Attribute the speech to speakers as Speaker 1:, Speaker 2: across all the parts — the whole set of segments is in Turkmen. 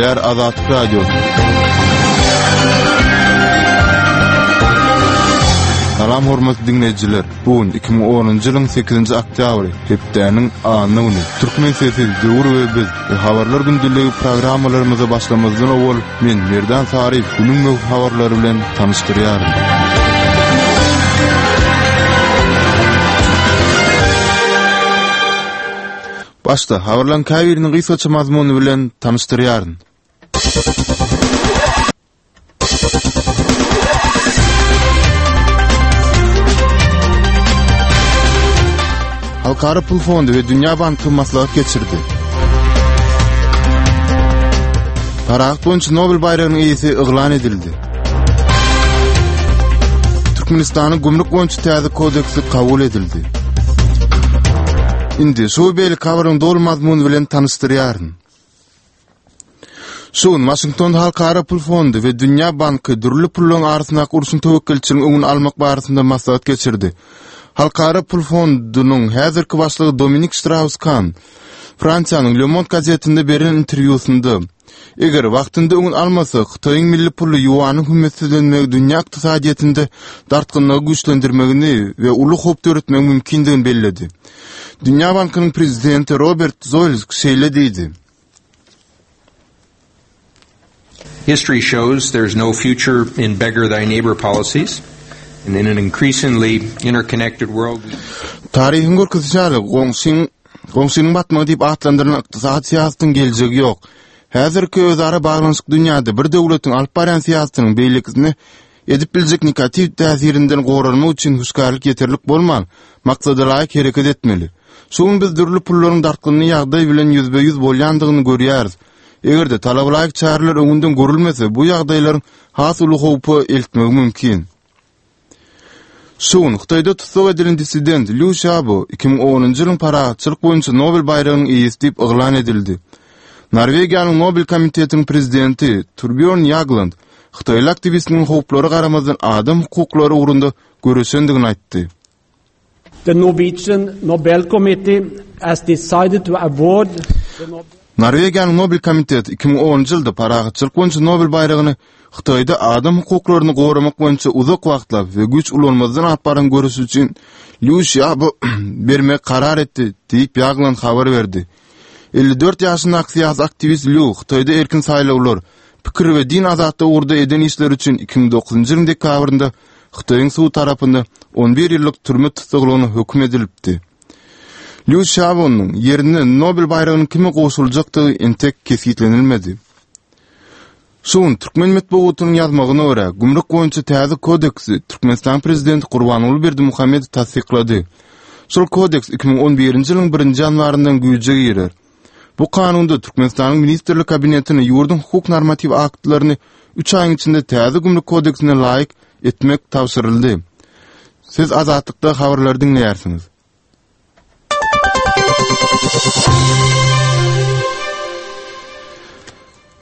Speaker 1: Gürleýär Azatlyk Radiosy. Salam hormatly diňleýjiler. Bu gün 2010-njy ýylyň 8-nji oktýabry, hepdäniň anna güni. Türkmen sesi, Döwür we biz we Habarlar gündeligi programmalarymyza başlamazdan owal men Merdan Saryýew günüň möhüm habarlary bilen tanyşdyrýaryn. Başda habarlaryň käbiriniň gysgaça mazmuny bilen tanyşdyrýaryn. Halkara pul fondy we Dünýä banky maslahat geçirdi. Parahat boýunça Nobel baýragynyň eýesi yglan edildi. Türkmenistanyň gümrük boýunça täze kodeksi kabul edildi. Indi şu we beýleki habaryň doly mazmuny bilen tanyşdyrýaryn. Şu gün Waşingtonda Halkara pul fondy we Dünýä banky dürli pullaryň arasyndaky urşuň töwekgelçiliginiň öňüni almak barasynda maslahat geçirdi. Halkara pul fondunyň häzirki başlygy Dominik Ştraus-Kan Fransiýanyň Le Monde gazetinde beren interwýusynda, Eger wagtynda öňüni almasak, Hytaýyň milli puly ýuanyň hümmetsizlenmegi dünýä ykdysadyýetinde dartgynlygy güýçlendirmegini we uly howp döretmegi mümkindigini belledi. Dünýä bankynyň prezidenti Robert Zoelsk şeýle diýdi.
Speaker 2: History shows there's no future in beggar thy neighbor policies and in an increasingly interconnected world we
Speaker 1: Taryhyň görkezişi ýaly, goňşyň goňşynyň batmagy diýip atlandyrylan ykdysady syýasatyň geljegi ýok. Häzirki özara baglanyşyk dünýäde bir döwletiň alyp barýan syýasatynyň beýlekisine edip biljek negatiw täsirinden goranmak üçin hüşgärlik ýeterlik bolman, maksadalaýyk hereket etmeli. Şu gün biz dürli pullaryň dartgynly ýagdaý bilen ýüzbe-ýüz bolýandygyny görýäris. Eger-de talabalaýyk çäreler öňünden görülmese, bu ýagdaýlaryň has uly howpa eltmegi mümkin. Şu gün Hytaýda tussag edilen dissident Lýu Şiabo 2010-njy ýylyň parahatçylyk boýunça Nobel baýragynyň eýesi diýip yglan edildi. Norwegiýanyň Nobel komitetiniň prezidenti Turbýorn Ýagland hytaýly aktiwistiniň howplara garamazdan adam hukuklary ugrunda göreşendigini aýtdy.
Speaker 3: The Norwegian Nobel Committee has decided to award the Nobel
Speaker 1: Norwegiýanyň Nobel komiteti 2010-njy ýylda parahatçylyk boýunça Nobel baýragyny Hytaýda adam hukuklaryny goramak boýunça uzak wagtlap we güýç ulanmazdan alyp baran göreşi üçin Lýu Şiabo bermegi karar etdi, diýip Ýagland habar berdi. 54 ýaşyndaky syýasy aktiwist Lýu Hytaýda erkin saýlawlar, pikir we din azatlygy ugurda eden işleri üçin 2009-njy ýylyň dekabrynda Hytaýyň sudy tarapynda 11 ýyllyk türme tussaglygyna höküm edilipdi. Lýu Şiabonyň ýerine Nobel baýragynyň kime gowşuryljakdygy entek kesgitlenilmedi. Şu gün türkmen metbugatynyň ýazmagyna görä, gümrük boýunça täze kodeksi Türkmenistanyň prezidenti Gurbanguly Berdimuhamedow tassyklady. Şol kodeks 2011-nji ýylyň birinji ýanwaryndan güýje girer. Bu kanunda Türkmenistanyň Ministrler Kabinetine ýurduň hukuk normatiw aktlaryny üç aýyň içinde täze gümrük kodeksine laýyk etmek tabşyryldy. Siz Azatlykda habarlary diňleýärsiňiz.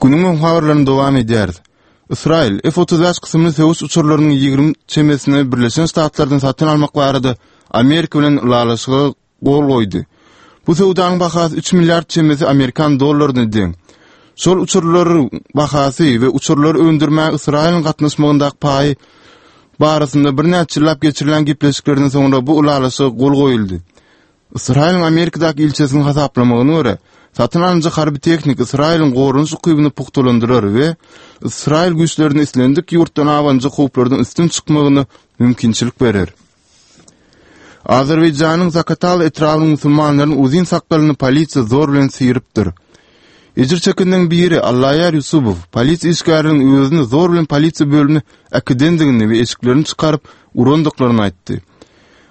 Speaker 1: Günüň öň habarlaryny dowam edýäris. Ysraýyl F-35 kysymly söweş uçarlarynyň 20 çemesini Birleşen Ştatlardan satyn almak barada Amerika bilen ylalaşyga gol goýdy. Bu söwdanyň bahasy 3 milliard çemesi amerikan dollaryna deň. Şol uçarlaryň bahasy we uçarlary öndürmäge Ysraýylyň gatnaşmagyndaky paýy barasynda birnäçe ýyllap geçirilen gepleşiklerden soňra bu ylalaşyga gol goýuldy. Ysraýylyň Amerikadaky ilçisiniň hasaplamagyna görä, satyn alynjak harby tehnika Ysraýylyň goranyş ukybyny pugtalandyrar we Ysraýyl güýçlerine islendik ýurtdan abanjak howplardan üstün çykmagyna mümkinçilik berer. Azerbaýjanyň Zakatal etrabynyň musulmanlarynyň uzyn sakgalyny polisiýa zor bilen syrypdyr. Ejir çekenleriň biri Allaýar Ýusubow polisiýa işgärleriniň özüni zor bilen polisiýa bölümine äkidendigini we eşiklerini çykaryp urandyklaryny aýtdy.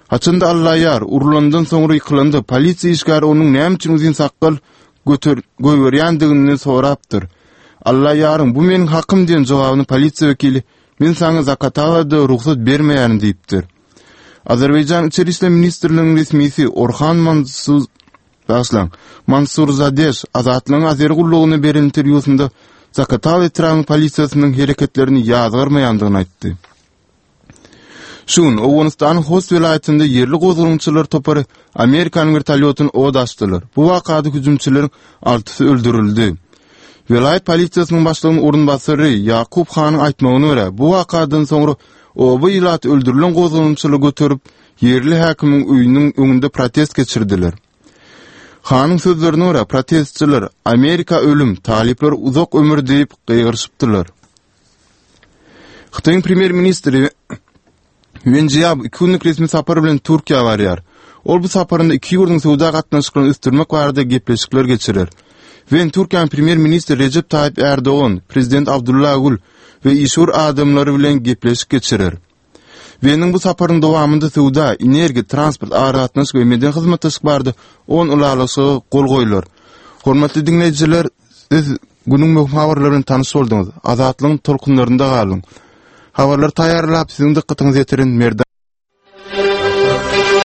Speaker 1: Haçanda Allaýar urlandan soňra ýykylanda polisiýa işgäri onuň näme üçin uzyn sakgal göter goýberýändigini sorapdyr. Allaýaryň bu meniň hakym diýen jogabyny polisiýa wekili Men saňa Zakatalada rugsat bermeýärin diýipdir. Azerbaýjan Içeri işler ministrliginiň resmisi Orhan Mansuz Bagyşlaň, Mansurzadeş Azatlygyň Azeri gullugyna beren interwýusynda Zakatal etrabynyň polisiýasynyň hereketlerini ýazgarmaýandygyny aýtdy. Şu gün Owganystanyň Host welaýatynda ýerli gozgalaňçylar topary Amerikanyň wertolýotyny od açdylar. Bu wakada hüjümçileriň altysy öldürildi. Welaýat polisiýasynyň başlygynyň orunbasary Ýakup Hanyň aýtmagyna görä, bu wakadan soňra oba ilaty öldürilen gozgalaňçylary göterip, ýerli häkimiň öýüniň öňünde protest geçirdiler. Hanyň sözlerine görä, protestçiler Amerika ölüm, talyplara uzak ömür diýip gygyryşypdyrlar. Hytaýyň premýer-ministri Wen Jiabo iki günlük resmi sapar bilen Türkiýä barýar. Ol bu saparynda iki ýurduň söwda gatnaşyklaryny ösdürmek barada gepleşikler geçirer. Wen Türkiýäniň premýer-ministri Rejep Taýyp Ärdogan, prezident Abdulla Gül we işewür adamlary bilen gepleşik geçirer. Weniň bu saparynyň dowamynda söwda, energiýa, transport, aragatnaşyk we medeni hyzmatdaşlyk barada on ylalaşyga gol goýlar. Hormatly diňleýjiler, siz günüň möhüm habarlary bilen tanyş bolduňyz. Azatlygyň tolkunlarynda galyň. Habarlary taýýarlap, siziň dykgatyňyza ýetiren Merdan.